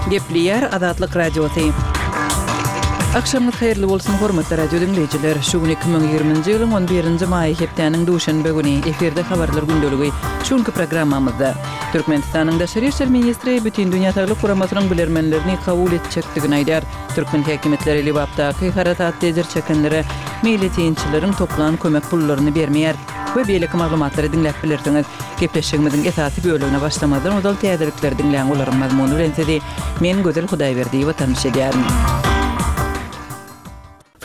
Gepleýär Azatlyk Radiosy. Agşamyňyz haýyrly bolsun, hormatly radio diňleýjiler! Şu gün 2020-nji ýylyň on birinji maýy hepdäniň duşenbe güni. Efirde Habarlar gündeligi. Şu günki programmamyzda, Türkmenistanyň Daşary işler ministri Bütindünýä Saglyk Guramasynyň bilermenlerini kabul etjekdigini aýdýar. Türkmen häkimiýetleri Lebapdaky harasatda ejir çekenlere meýletinçileriň toplan kömek pullaryny bermeýär we beýleki maglumatlary diňläp bilersiňiz. Gepleşigimiziň esasy bölegine başlamazdan ozal täzelikleri diňläň, olaryň mazmuny bilen sizi men Gözel Hudaýberdiýewa tanyş edýärin.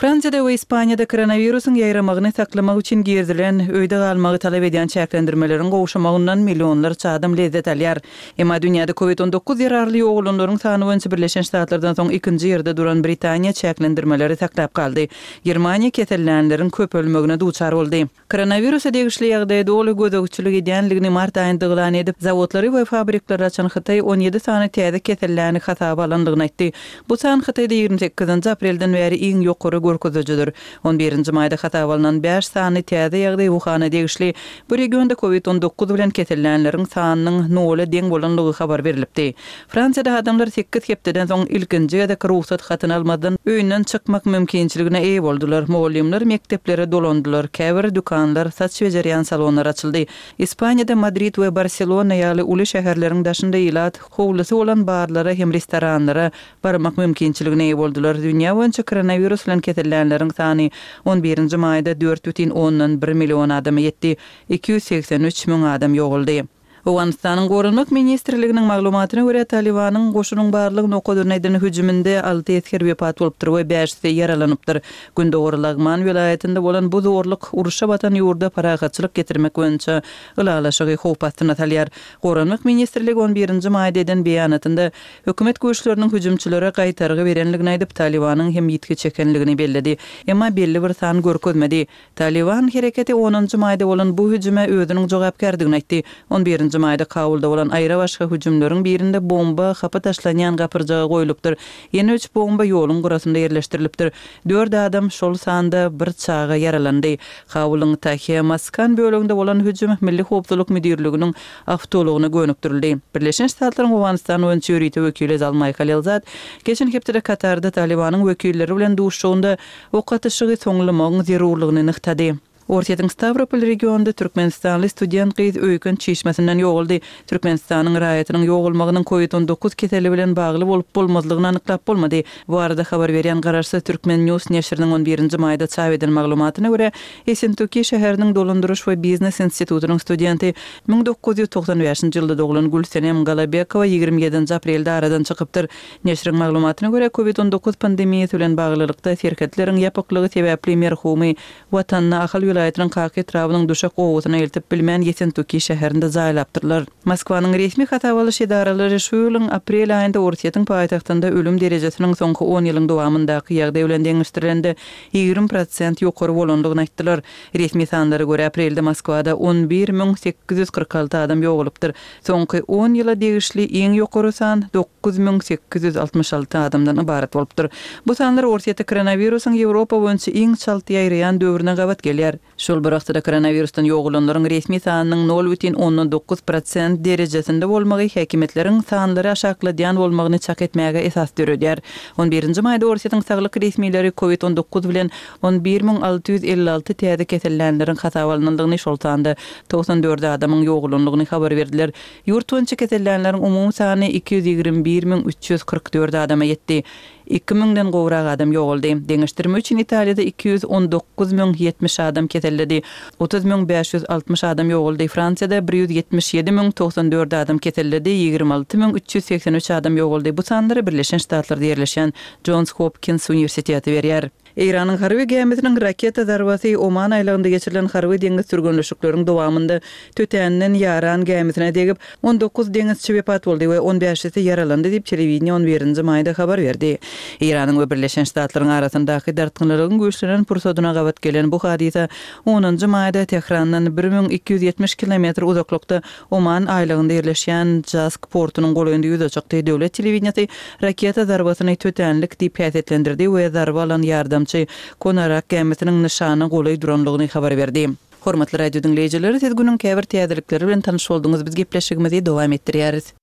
Fransiýada we Ispaniýada koronawirusyň ýaýramagyny saklamak üçin girizilen, öýde galmagy talap edýän çäklendirmeleriň gowşamagyndan millionlarça adam lezzet alýar. Emma dünýäde Covid 19 zerarly ýogalanlaryň sany boýunça Birleşen Ştatlardan soň ikinji ýerde duran Britaniýa çäklendirmeleri saklap galdy. Germaniýa kesellänleriň köpelmegine duçar boldy. Koronawirusa degişli ýagdaýa doly gözegçilik edýändigini mart aýynda yglan edip, zawodlary we fabrikleri açan Hytaý 17 sany täze keselläni hasaba alandygyny aýtdy. Bu san Hytaýda 28-nji aprelden bäri iň ýokary görkezijidir. On birinji maýda hasaba alnan bäş sany täze ýagdaý Wuhana degişli. Bu regionda Covid 19 bilen kesellänleriň sanynyň nola deň bolandygy habar berlipdi. Fransiýada adamlar sekiz hepdeden soň ilkinji gezek rugsat hatyny almazdan öýünden çykmak mümkinçiligine eýe boldular. Mugallymlar mekdeplere dolandylar, käbir dükanlar, saç bejerýän salonlar açyldy. Ispaniýada Madrid we Barselona ýaly uly şäherleriň daşynda ilat howlusy bolan barlara hem restoranlara barmak mümkinçiligine eýe boldular. Dünýä boýunça koronawirus bilen kesellänleriň sany on birinji maýda 4,1 million adama ýetdi, 283 müň adam ýogaldy. Owganystanyň Goranmak ministrliginiň maglumatyna görä, Talybanyň goşunyň barlyk nokadyna eden hüjüminde alty esger wepat bolupdyr we bäşisi ýaralanypdyr. Gündogar Lagman welaýatynda bolan bu zorluk urşa batan ýurda parahatçylyk getirmek boýunça ylalaşygy howp astyna salýar. Goranmak ministrligi on birinji maýda eden beýanatynda hökümet güýçleriniň hüjümçilere gaýtargy berendigini aýdyp, Talybanyň hem ýitgi çekendigini belledi. Emma belli bir san görkezmedi. Talyban hereketi onunjy maýda bolan bu hüjüme özüniň jogapkärdigini aýtdy. On birinji maýda Kabulda bolan aýrabaşga hüjümleriň birinde bomba hapa taşlanýan gapyrjaga goýlupdyr. Ýene üç bomba ýoluň gyrasynda ýerleşdirilipdir. Dört adam, şol sanda bir çaga ýaralandy. Kabulyň Tahe Maskan böleginde bolan hüjüm Milli howpsuzlyk müdirliginiň awtoulagyna gönükdirildi. Birleşen Ştatlaryň Owganystan boýunça ýörite wekili Zalmaý Halilzad geçen hepdede Katarda Talybanyň wekilleri bilen duşuşygynda Ok atyşygy soňlamagyň zerurlygyny nygtady. Orsýetiň Stawropol regionynda türkmenistanly student gyz öýken çişmesinden ýogaldy. Türkmenistanyň raýatynyň ýogalmagynyň Covid 19 keseli bilen bagly bolup-bolmazlygyny anyklap bolmady. Bu barada habar berýän garaşsyz Turkmen News neşiriniň on birinji maýda çap eden maglumatyna görä, Essentuki şäheriniň dolandyryş we biznes institutynyň studenti, 1995-nji ýylda doglan Gülsenem Galabekowa 27-nji aprelde aradan çykypdyr. Neşiriň maglumatyna görä, Covid 19 pandemiýasy bilen baglylykda serhetleriň ýapyklygy sebäpli merhumy Watanyna Ahal welaýatynyň Kaka etrabynyň Duşak obasyna eltip bilmän Ýesentuki şäherinde jaýlapdyrlar. Moskwanyň resmi hasaba alyş edaralary şu ýylyň aprel aýynda Orsýetiň paýtagtynda ölüm derejesiniň soňky on ýylyň dowamyndaky ýagdaý bilen deňeşdirilende 20% ýokary bolandygyny aýtdylar. Resmi sanlara görä, aprelde Moskwada 11 846 adam ýogalypdyr. Soňky on ýyla degişli iň ýokary san 9866 adamdan ybarat bolupdyr. Bu sanlar Orsýetde koronawirusyň Ýewropa boýunça iň çalt ýaýraýan döwrüne gabat gelýär. Şol bir wagtda-da koronawirusdan ýogalanlaryň resmi sanynyň 0,9% derejesinde bolmagy häkimiýetleriň sanlary aşakladýan bolmagyny çak etmäge esas döredýär. On birinji maýda Orsýetiň saglyk resmileri Covid 19 bilen 11 656 täze kesellänleriň hasaba alnandygyny, şol sanda 94 adamyň ýogalandygyny habar berdiler. Ýurt boýunça kesellänleriň umumy sany 221 344 adama ýetdi. Iki müňden gowrak adam ýogaldy. Deňeşdirme üçin Italiýada 219 070 adam keselledi, 30 560 adam ýogaldy, Fransiýada 177 094 adam keselledi, 26 383 adam ýogaldy. Bu sanlary Birleşen Ştatlarda ýerleşýän Jons Hopkins uniwersiteti berýär. Eýranyň harby gämisiniň raketa zarbasy Oman aýlagynda geçirilen harby deňiz türgenleşikleriň dowamynda tötänden ýaran gämisine degip, 19 deňizçi wepat boldy we on bäşisi ýaralandy diýip, telewideniýe on birinji maýda habar berdi. Eýranyň we Birleşen Ştatlaryň arasyndaky dartgynlylygyň güýçlenen pursadyna gabat gelen bu hadysa onunjy maýda Tährandan 1270 kilometr uzaklykda Oman aýlagynda ýerleşýän Jask portunyň golaýynda ýüze çykdy. Döwlet telewideniýesi raketa zarbasyny tötänlik diýip häsiýetlendirdi we zarba alan ýardamçy Konarak gämisiniň nyşana golaý duranlygyny habar berdi. Hormatly radio diňleýjiler, siz günüň käbir täzelikleri bilen tanyş bolduňyz, biz gepleşigimizi dowam etdirýäris.